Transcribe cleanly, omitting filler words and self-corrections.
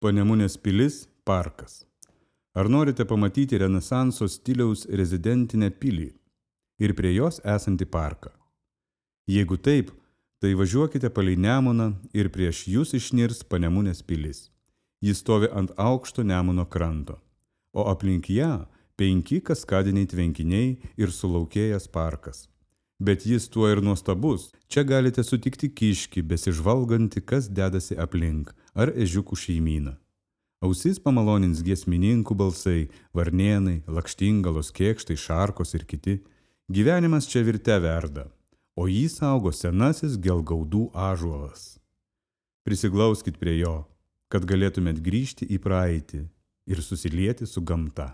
Panemunės pilis – parkas. Ar norite pamatyti renesanso stiliaus rezidentinę pilį ir prie jos esantį parką? Jeigu taip, tai važiuokite palei Nemuną ir prieš jūs išnirs Panemunės pilis. Jis stovi ant aukšto Nemuno kranto, o aplink ją 5 kaskadiniai tvenkiniai ir sulaukėjęs parkas. Bet jis tuo ir nuostabus. Čia galite sutikti kiškį, besižvalgantį, kas dedasi aplink, ar ežiukų šeimyną. Ausis pamalonins giesmininkų balsai, varnėnai, lakštingalos, kėkštai, šarkos ir kiti. Gyvenimas čia virte verda, o jį saugo senasis gelgaudų ąžuolas. Prisiglauskit prie jo, kad galėtumėt grįžti į praeitį ir susilieti su gamta.